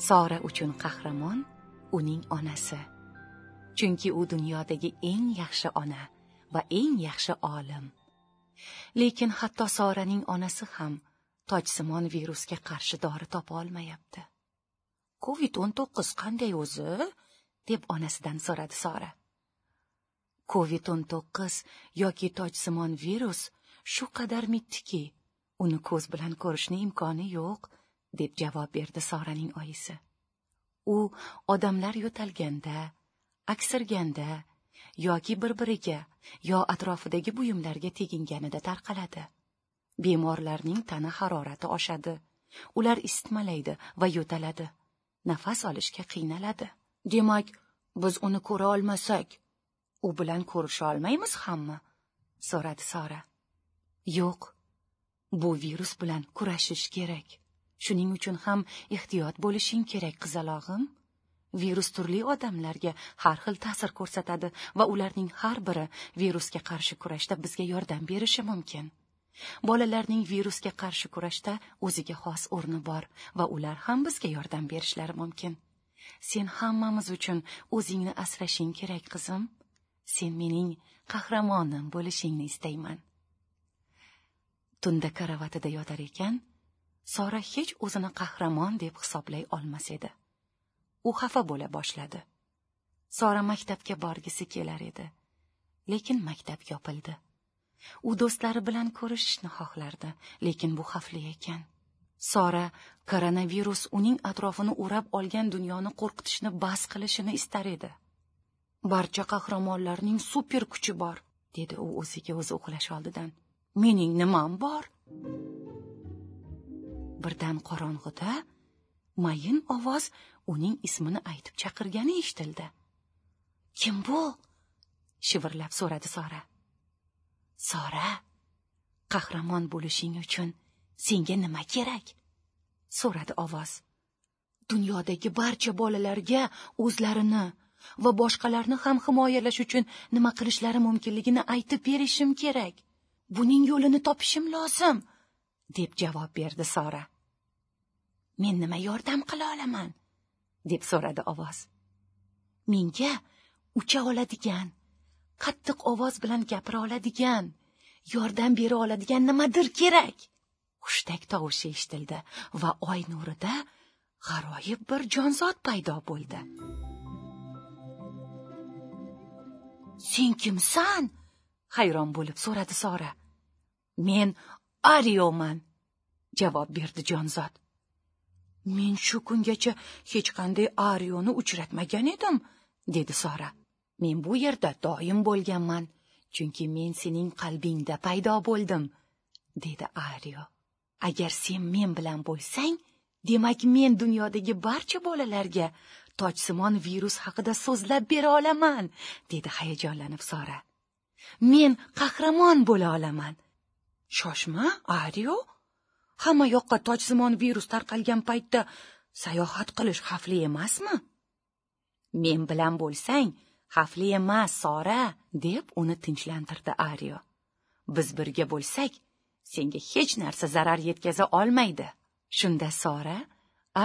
Sora uchun qahramon uning onasi. Chunki u dunyodagi eng yaxshi ona va eng yaxshi olim. Lekin hatto Soraning onasi ham tojsimon virusga qarshi dori topa olmayapti. Covid-19 qanday o'zi? Deb onasidan so'radi Sora. Covid-19 yoki tojsimon virus shu qadar mittiki, uni ko'z bilan ko'rishning imkoni yo'q, deb javob berdi Soraning oyisi. U odamlar yo'talganda, aksirganda yoki bir-biriga yo atrofidagi buyumlarga teginganida tarqaladi. Bemorlarning tana harorati oshadi, ular isitmalaydi va yo'taladi, nafas olishga qiynaladi. Demak, biz uni ko'ra olmasak, u bilan ko'risha olmaymiz hammi? So'radi Sora. Yo'q, bu virus bilan kurashish kerak. Shuning uchun ham ehtiyot bo'lishing kerak, qizalog'im. Virus turli odamlarga har xil ta'sir ko'rsatadi va ularning har biri virusga qarshi kurashda bizga yordam berishi mumkin. Bolalarning virusga qarshi kurashda o'ziga xos o'rni bor va ular ham bizga yordam berishlari mumkin. Sen hammamiz uchun o'zingni asrashing kerak, qizim. Sen mening qahramonim bo'lishingni istayman. Tunda karavatida yotar ekan, Sora hech o'zini qahramon deb hisoblay olmas edi. U xafa bo'la boshladi. Sora maktabga borgisi kelar edi, lekin maktab yopildi. U do'stlari bilan ko'rishishni xohlardi, lekin bu xavfli ekan. Sora koronavirus uning atrofini o'rab olgan dunyoni qo'rqitishni bas qilishini istar edi. Barcha qahramonlarning super kuchi bor, dedi u o'ziga o'zi uxlash oldidan. Mening nimam bor? Birdan qorong'ida mayin ovoz uning ismini aytib chaqirgani eshitildi. Kim bu? Shivirlab so'radi Sora. Sora, qahramon bo'lishing uchun senga nima kerak? So'radi ovoz. Dunyodagi barcha bolalarga o'zlarini va boshqalarni ham himoyalash uchun nima qilishlari mumkinligini aytib berishim kerak. Buning yo'lini topishim lozim, deb javob berdi Sora. Men nima yordam qila olaman? Deb so'radi ovoz. Menga ucha oladigan, qattiq ovoz bilan gapira oladigan, yordam bera oladigan nimadir kerak. Hushtak tovushi eshitildi va oy nurida g'aroyib bir jonzot paydo bo'ldi. Sen kimsan? Hayron bo'lib so'radi Sora. Men Arioman, javob berdi jonzot. Men shu kungacha hech qanday Arioni uchratmagan edim, dedi Sora. Men bu yerda doim bo'lganman, chunki men sening qalbingda paydo bo'ldim, dedi Ario. Agar sen men bilan bo'lsang, demak men dunyodagi barcha bolalarga tojsimon virus haqida so'zlab bera olaman, dedi hayajonlanib Sora. Men qahramon bo'la olaman. Shoshma, Ario. Hamma yoqqa tojsimon virus tarqalgan paytda sayohat qilish xavfli emasmi? Men bilan bo'lsang, xavfli emas, Sora, deb uni tinchlantirdi Ario. Biz birga bo'lsak, senga hech narsa zarar yetkaza olmaydi. Shunda Sora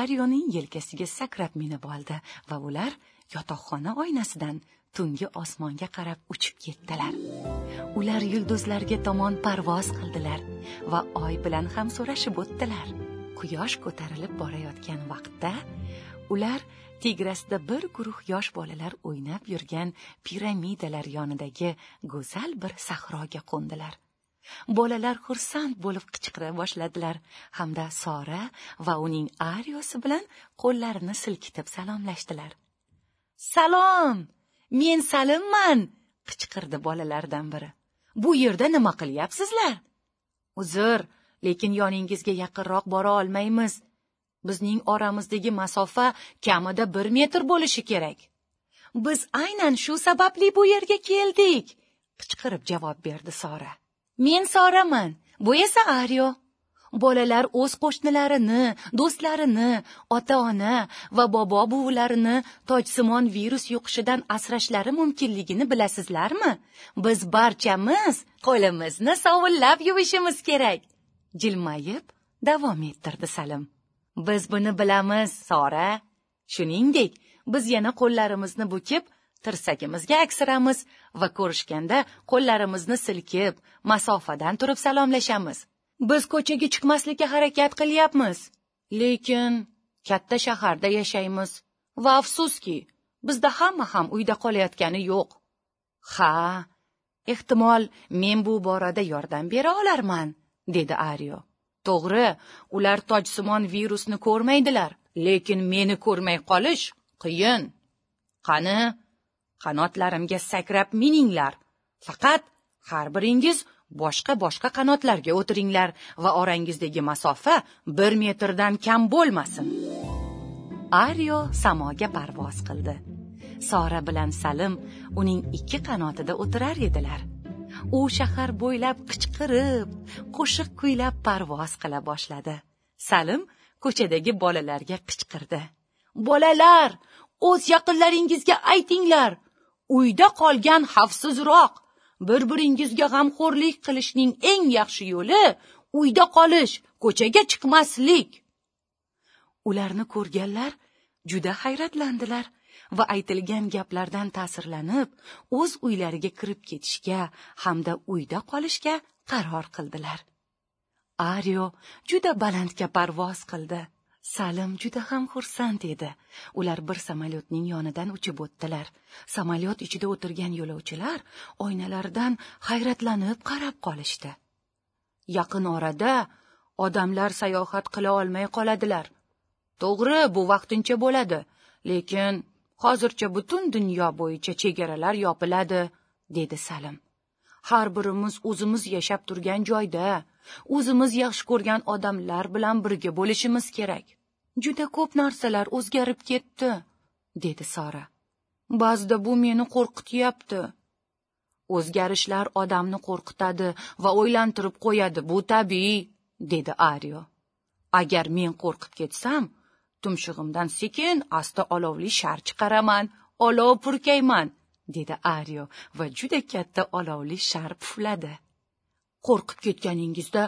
Arioning yelkasiga sakrab minib oldi va ular yotoqxona oynasidan tungi osmonga qarab uchib ketdilar. Ular yulduzlarga tomon parvoz qildilar va oy bilan ham so'rashib o'tdilar. Quyosh ko'tarilib borayotgan vaqtda ular tegrasida bir guruh yosh bolalar o'ynab yurgan piramidalar yonidagi go'zal bir sahroga qo'ndilar. Bolalar xursand bo'lib qichqira boshladilar hamda Sora va uning Ariosi bilan qo'llarini silkitib salomlashdilar. Salom! Men Salimman! Qichqirdi bolalardan biri. Bu yerda nima qilyapsizlar? Uzr, lekin yoningizga yaqinroq bora olmaymiz. Bizning oramizdagi masofa kamida 1 metr bo'lishi kerak. Biz aynan shu sababli bu yerga keldik, qichqirib javob berdi Sora. Men Soraman, bu esa Ario. Bolalar o'z qo'shnilarini, do'stlarini, ota-ona va bobo-buvilarini tojsimon virus yuqishidan asrashlari mumkinligini bilasizlarmi? Biz barchamiz qo'limizni sovunlab yuvishimiz kerak, jilmayib davom ettirdi Salim. Biz buni bilamiz, Sora, Shuningdek, biz yana qo'llarimizni bukib, tirsagimizga aksiramiz va ko'rishganda qo'llarimizni silkib, masofadan turib salomlashamiz. Biz ko'chaga chiqmaslikka harakat qilyapmiz, lekin katta shaharda yashaymiz va afsuski, bizda hamma ham uyda qolayotgani yo'q. Ha, ehtimol men bu borada yordam bera olarman, dedi Ario. To'g'ri, ular tojsimon virusni ko'rmaydilar, lekin meni ko'rmay qolish qiyin. Qani, qanotlarimga sakrab mininglar. Faqat har biringiz boshqa-boshqa qanotlarga o'tiringlar va orangizdagi masofa 1 metrdan kam bo'lmasin. Ario samoga parvoz qildi. Sora bilan Salim uning 2 qanotida o'tirar edilar. U shahar bo'ylab qichqirib, qo'shiq kuylab parvoz qila boshladi. Salim ko'chadagi bolalarga qichqirdi. Bolalar, o'z yaqinlaringizga aytinglar, uyda qolgan xavfsizroq. Bir-biringizga g'amxo'rlik qilishning eng yaxshi yo'li uyda qolish, ko'chaga chiqmaslik. Ularni ko'rganlar juda hayratlandilar va aytilgan gaplardan ta'sirlanib, o'z uylariga kirib ketishga hamda uyda qolishga qaror qildilar. Ario juda balandga parvoz qildi. Salim juda ham xursand edi. Ular bir samolyotning yonidan uchib o'tdilar. Samolyot ichida o'tirgan yo'lovchilar oynalardan hayratlanib qarab qolishdi. Yaqin orada odamlar sayohat qila olmay qoladilar. To'g'ri, bu vaqtincha bo'ladi, lekin hozircha butun dunyo bo'yicha chegaralar yopiladi, dedi Salim. Har birimiz o'zimiz yashab turgan joyda, o'zimiz yaxshi ko'rgan odamlar bilan birga bo'lishimiz kerak. Juda ko'p narsalar o'zgarib ketdi, dedi Sora. Ba'zida bu meni qo'rqityapti. O'zgarishlar odamni qo'rqitadi va o'ylantirib qo'yadi, bu tabiiy, dedi Ario. Agar men qo'rqib ketsam, tumshug'imdan sekin asta olovli shar chiqaraman, olov purkayman, dedi Ario va juda katta olovli shar pufladi. Qo'rqib ketganingizda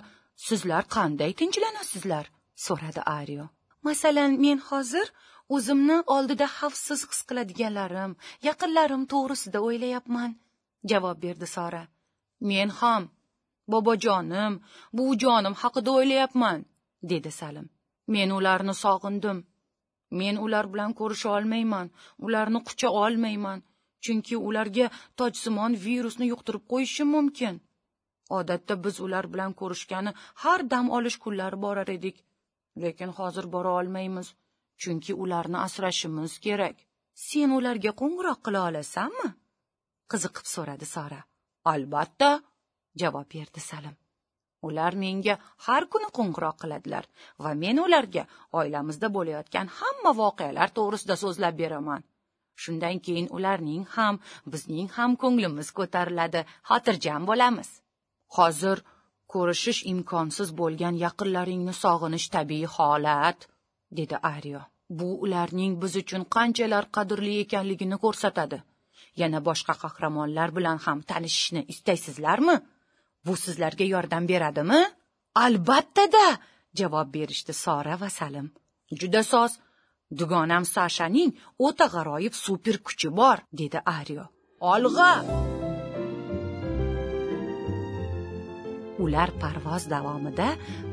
sizlar qanday tinchlanasizlar? So'radi Ario. Masalan, men hozir o'zimni oldida xavfsiz his qiladiganlarim, yaqinlarim to'g'risida o'ylayapman, javob berdi Sora. Men ham bobojonim, buvijonim haqida o'ylayapman, dedi Salim. Men ularni sog'indim. Men ular bilan ko'risha olmayman, ularni qucha olmayman, chunki ularga tojsimon virusni yuqtirib qo'yishim mumkin. Odatda biz ular bilan ko'rishgani har dam olish kunlari borar edik, lekin hozir bora olmaymiz, chunki ularni asrashimiz kerak. Sen ularga qo'ng'iroq qila olasanmi? Qiziqib so'radi Sora. Albatta, javob berdi Salim. Ular menga har kuni qo'ng'iroq qiladilar va men ularga oilamizda bo'layotgan hamma voqealar to'g'risida so'zlab beraman. Shundan keyin ularning ham, bizning ham ko'nglimiz ko'tariladi, xotirjam bo'lamiz. Hozir ko'rishish imkonsiz bo'lgan yaqinlaringni sog'inish tabiiy holat, dedi Ario. Bu ularning biz uchun qanchalar qadrli ekanligini ko'rsatadi. Yana boshqa qahramonlar bilan ham tanishishni istaysizlarmi? Bu sizlarga yordam beradimi? Albatta-da, javob berishdi Sora va Salim. Juda soz. Dugonam Sashaning o'ta g'aroyib super kuchi bor, dedi Ario. Olg'a! Ular parvoz davomida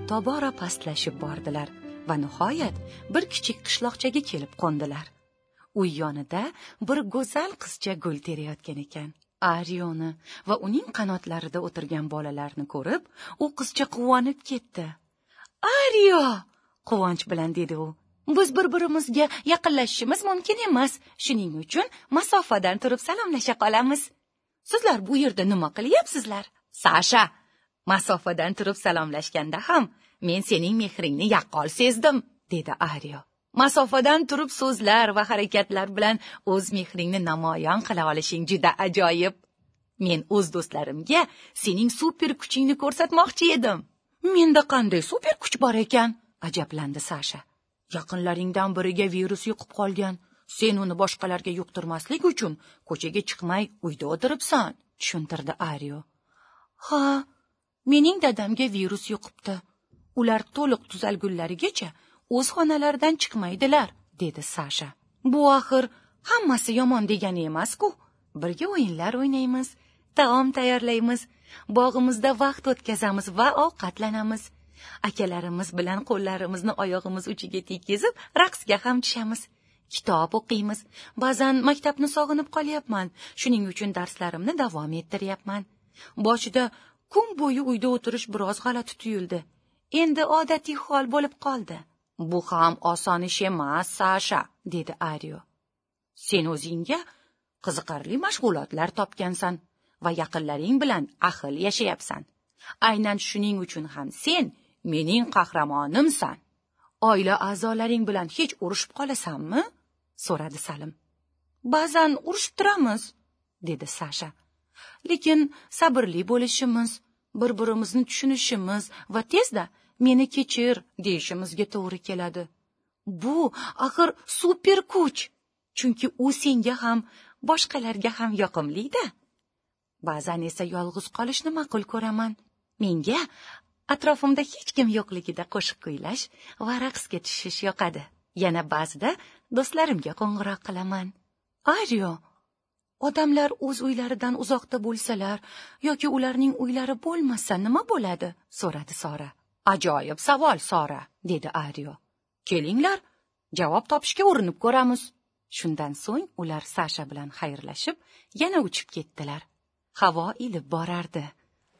tobora pastlashib bordilar va nihoyat bir kichik qishloqchaga kelib qo'ndilar. Uy yonida bir go'zal qizcha gul terayotgan ekan. Arioni va uning qanotlarida o'tirgan bolalarni ko'rib, u qizcha quvonib ketdi. Ario! Quvonch bilan dedi u. Biz bir-birimizga yaqinlashishimiz mumkin emas, shuning uchun masofadan turib salomlasha qolamiz. Sizlar bu yerda nima qilyapsizlar? Sasha, masofadan turib salomlashganda ham men sening mehringni yaqqol sezdim, dedi Ario. Masofadan turib so'zlar va harakatlar bilan o'z mehringni namoyon qila olishing juda ajoyib. Men o'z do'stlarimga sening super kuchingni ko'rsatmoqchi edim. Menda qanday super kuch bor ekan? Ajablandi Sasha. Yaqinlaringdan biriga virus yuqib qolgan. Sen uni boshqalarga yuqtirmaslik uchun ko'chaga chiqmay uyda o'tiribsan, tushuntirdi Ario. Ha, mening dadamga virus yuqibdi. Ular to'liq tuzalgunlarigacha o'z xonalaridan chiqmaydilar, dedi Sasha. Bu axir hammasi yomon degani emas-ku. Birga o'yinlar o'ynaymiz, taom tayyorlaymiz, bog'imizda vaqt o'tkazamiz va ovqatlanamiz. Akalarimiz bilan qo'llarimizni oyog'imiz uchiga tekkizib, raqsga ham tushamiz. Kitob o'qiymiz. Ba'zan maktabni sog'inib qolyapman. Shuning uchun darslarimni davom ettiryapman. Boshida kun bo'yi uyda o'tirish biroz g'alati tuyuldi. Endi odatiy hol bo'lib qoldi. Bu ham oson ish emas, Sasha, dedi Ario. Sen o'zingga qiziqarli mashg'ulotlar topgansan va yaqinlaring bilan ahil yashayapsan. Aynan shuning uchun ham sen mening qahramonimsan. Oila a'zolaring bilan hech urushib qolasanmi? So'radi Salim. Ba'zan urushib turamiz, dedi Sasha. Lekin sabrli bo'lishimiz, bir-birimizni tushunishimiz va tezda meni kechir deyishimizga to'g'ri keladi. Bu axir super kuch, chunki u senga ham, boshqalarga ham yoqimli-da. Ba'zan esa yolg'iz qolishni ma'qul ko'raman. Menga atrofimda hech kim yo'qligida qo'shiq kuylash va raqsga tushish yoqadi. Yana ba'zida do'stlarimga qo'ng'iroq qilaman. Ario, odamlar o'z uylaridan uzoqda bo'lsalar yoki ularning uylari bo'lmasa nima bo'ladi? So'radi Sora. Ajoyib savol, Sora, dedi Ario. Kelinglar, javob topishga urinib ko'ramiz. Shundan so'ng ular Sasha bilan xayrlashib, yana uchib ketdilar. Havo ilib borardi.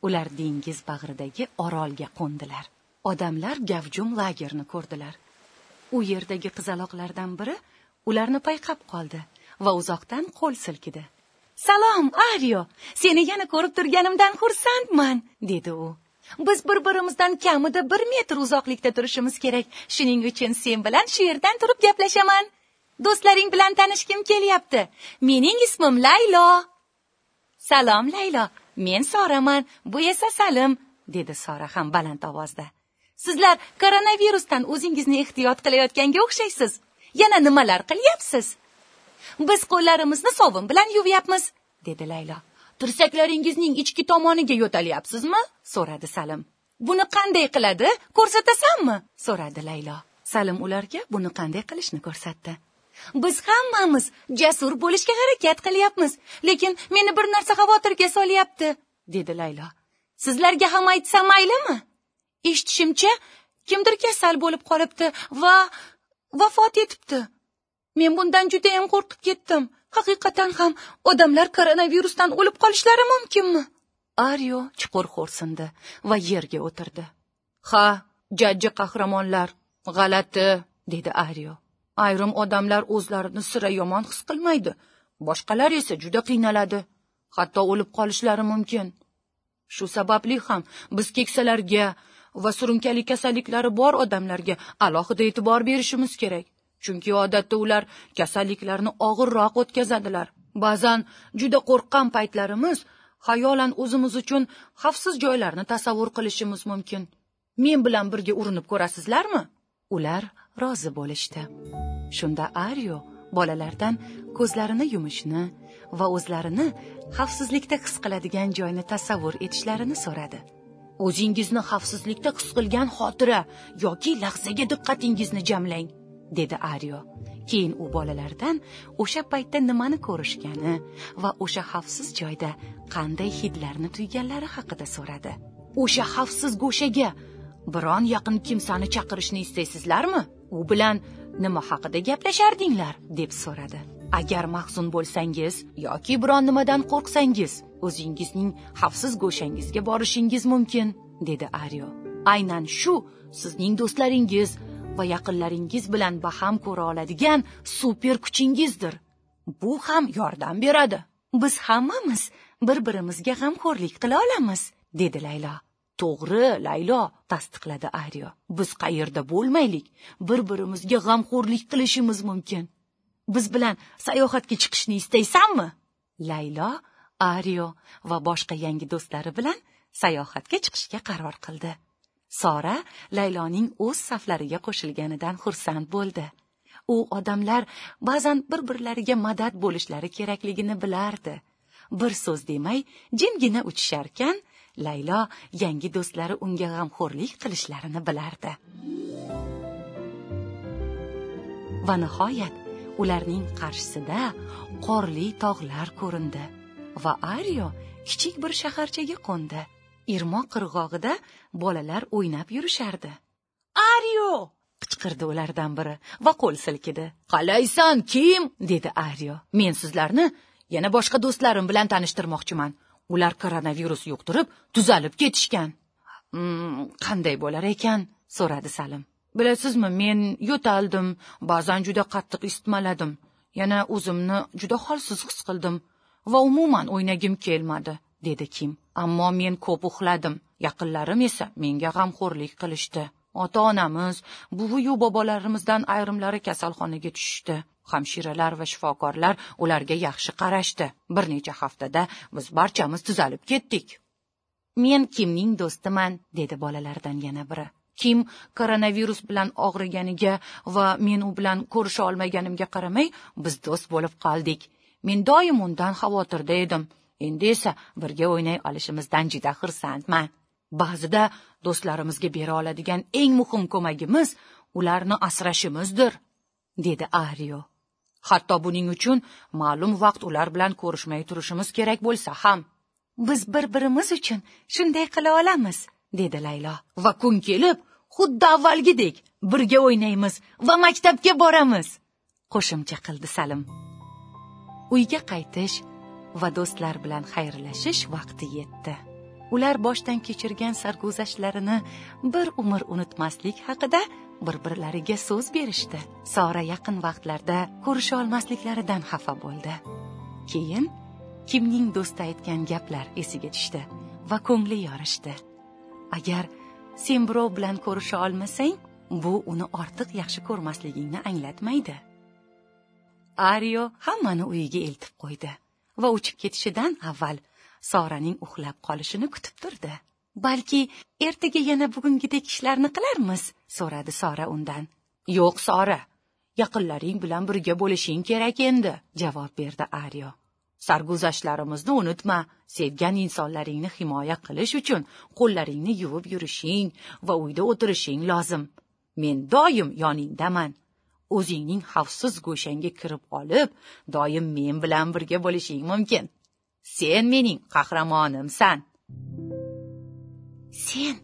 Ular dengiz bag'ridagi orolga qo'ndilar. Odamlar gavjum lagerni ko'rdilar. U yerdagi qizaloqlardan biri ularni payqab qoldi va uzoqdan qo'l silkidi. Salom, Ario, seni yana ko'rib turganimdan xursandman, dedi u. Biz bir-birimizdan kamida 1 metr uzoqlikda turishimiz kerak. Shuning uchun sen bilan shu yerdan turib gaplashaman. Do'stlaring bilan tanishgim kelyapti. Mening ismim Laylo. Salom, Laylo. Men Soraman, bu esa Salim, dedi Sora ham baland ovozda. Sizlar koronavirusdan o'zingizni ehtiyot qilayotganga o'xshaysiz. Yana nimalar qilyapsiz? Biz qo'llarimizni sovun bilan yuvyapmiz, dedi Laylo. Tirsaklaringizning ichki tomoniga yo'talyapsizmi? So'radi Salim. Buni qanday qiladi? Ko'rsatasanmi? So'radi Laylo. Salim ularga buni qanday qilishni ko'rsatdi. Biz hammamiz jasur bo'lishga harakat qilyapmiz, lekin meni bir narsa xavotirga solyapti, dedi Laylo. Sizlarga ham aytsam maylimi? Eshitishimcha, kimdir kasal bo'lib qolibdi va vafot etibdi. Men bundan juda ham qo'rqib ketdim. Haqiqatan ham odamlar koronavirusdan o'lib qolishlari mumkinmi? Ario chuqur xo'rsindi va yerga o'tirdi. Ha, jajji qahramonlar, g'alati, dedi Ario. Ayrim odamlar o'zlarini sira yomon his qilmaydi, boshqalar esa juda qiynaladi, hatto o'lib qolishlari mumkin. Shu sababli ham biz keksalarga va surunkali kasalliklari bor odamlarga alohida e'tibor berishimiz kerak. Chunki odatda ular kasalliklarni og'irroq o'tkazadilar. Ba'zan juda qo'rqqan paytlarimiz xayolan o'zimiz uchun xavfsiz joylarni tasavvur qilishimiz mumkin. Men bilan birga urinib ko'rasizlarmi? Ular rozi bo'lishdi. Shunda Ario bolalardan ko'zlarini yumishni va o'zlarini xavfsizlikda his qiladigan joyni tasavvur etishlarini so'radi. O'zingizni xavfsizlikda his qilgan xotira yoki lahzaga diqqatingizni jamlang, dedi Ario. Keyin u bolalardan o'sha paytda nimani ko'rishgani va o'sha xavfsiz joyda qanday hidlarni tuyganlari haqida so'radi. O'sha xavfsiz go'shaga biron yaqin kimsani chaqirishni istaysizlarmi? U bilan nima haqida gaplashardinglar, deb so'radi. Agar mahzun bo'lsangiz yoki biron nimadan qo'rqsangiz, o'zingizning xavfsiz go'shangizga borishingiz mumkin, dedi Ario. Aynan shu sizning do'stlaringiz va yaqinlaringiz bilan baham ko'ra oladigan super kuchingizdir. Bu ham yordam beradi. Biz hammamiz bir-birimizga g'amxo'rlik qila olamiz, dedi Laylo. To'g'ri, Laylo, tasdiqladi Ario. Biz qayerda bo'lmaylik, bir-birimizga g'amxo'rlik qilishimiz mumkin. Biz bilan sayohatga chiqishni istaysanmi? Laylo, Ario va boshqa yangi do'stlari bilan sayohatga chiqishga qaror qildi. Sora Layloning o'z saflariga qo'shilganidan xursand bo'ldi. U odamlar ba'zan bir-birlariga madad bo'lishlari kerakligini bilardi. Bir so'z demay jimgina uchisharkan, Laylo yangi do'stlari unga g'amxo'rlik qilishlarini bilardi. Va nihoyat ularning qarshisida qorli tog'lar ko'rindi va Ario kichik bir shaharchaga qo'ndi. Irmoq qirg'og'ida bolalar o'ynab yurishardi. "Ario!" qichqirdi ulardan biri va qo'l silkidi. "Qalaysan, Kim?" dedi Ario. "Men sizlarni yana boshqa do'stlarim bilan tanishtirmoqchiman. Ular koronavirus yuqtirib, tuzalib ketishgan." "Qanday bo'lar ekan?" so'radi Salim. "Bilasizmi, men yo'taldim, ba'zan juda qattiq isitmaladim. Yana o'zimni juda holsiz his qildim va umuman o'ynagim kelmadi", dedi Kim. "Ammo men ko'p uxladim. Yaqinlarim esa menga g'amxo'rlik qilishdi. Ota-onamiz, buvi-yu bobolarimizdan ayrimlari kasalxonaga tushishdi. Hamshiralar va shifokorlar ularga yaxshi qarashdi. Bir necha haftada biz barchamiz tuzalib ketdik." "Men Kimning do'stiman", dedi bolalardan yana biri. "Kim koronavirus bilan og'riganiga va men u bilan ko'risha olmaganimga qaramay, biz do'st bo'lib qoldik. Men doim undan xavotirda edim. Endi esa birga o'ynay olishimizdan juda xursandman. Ba'zida do'stlarimizga bera oladigan eng muhim ko'magimiz ularni asrashimizdir", dedi Ario. "Hatto buning uchun ma'lum vaqt ular bilan ko'rishmay turishimiz kerak bo'lsa ham. Biz bir-birimiz uchun shunday qila olamiz", dedi Laylo. "Va kun kelib, xuddi avvalgidek birga o'ynaymiz va maktabga boramiz", qo'shimcha qildi Salim. Uyga qaytish va do'stlar bilan xayrlashish vaqti yetdi. Ular boshdan kechirgan sarguzashtlarini bir umr unutmaslik haqida bir-birlariga so'z berishdi. Sora yaqin vaqtlarda ko'risha olmasliklaridan xafa bo'ldi. Keyin Kimning do'sti aytgan gaplar esiga tushdi va ko'ngli yorishdi. Agar sen birov bilan ko'risha olmasang, bu uni ortiq yaxshi ko'rmasligingni anglatmaydi. Ario hammani uyiga eltib qo'ydi va uchib ketishidan avval Soraning uxlab qolishini kutib turdi. "Balki ertaga yana bugungidek ishlarni qilarmiz?" so'radi Sora undan. "Yo'q, Sora, yaqinlaring bilan birga bo'lishing kerak endi", javob berdi Ario. "Sarguzashtlarimizni unutma. Sevgan insonlaringni himoya qilish uchun qo'llaringni yuvib yurishing va uyda o'tirishing lozim. Men doim yoningdaman. O'zingning xavfsiz go'shangga kirib olib, doim men bilan birga bo'lishing mumkin. Sen mening qahramonimsan." "Sen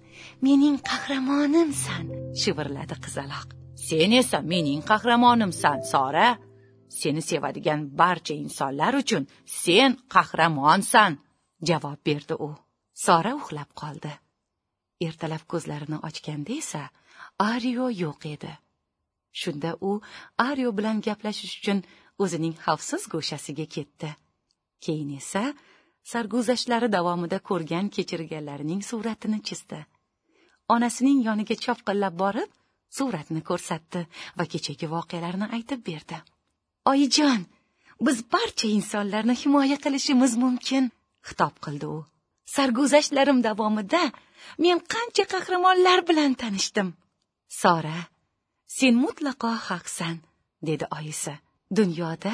mening qahramonimsan", shivirladi qizaloq. "Sen esa mening qahramonimsan, Sora. Seni sevadigan barcha insonlar uchun sen qahramonsan", javob berdi u. Sora uxlab qoldi. Ertalab ko'zlarini ochganda esa Ario yo'q edi. Shunda u Ario bilan gaplashish uchun o'zining xavfsiz go'shasiga ketdi. Keyin esa sarguzashtlari davomida ko'rgan kechirganlarining suratini chizdi. Onasining yoniga chopqillab borib, suratni ko'rsatdi va kechagi voqealarni aytib berdi. "Oyijon, biz barcha insonlarni himoya qilishimiz mumkin", xitob qildi u. "Sarguzashtlarim davomida men qancha qahramonlar bilan tanishdim." "Sora, sen mutlaqo haqsan", dedi oyisi. "Dunyoda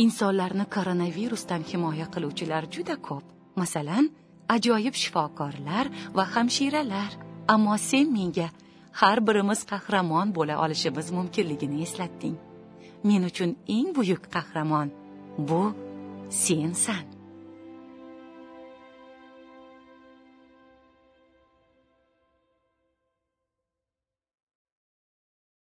insonlarni koronavirusdan himoya qiluvchilar juda ko'p. Masalan, ajoyib shifokorlar va hamshiralar. Ammo sen menga har birimiz qahramon bo'la olishimiz mumkinligini eslatding. Men uchun eng buyuk qahramon bu sensan."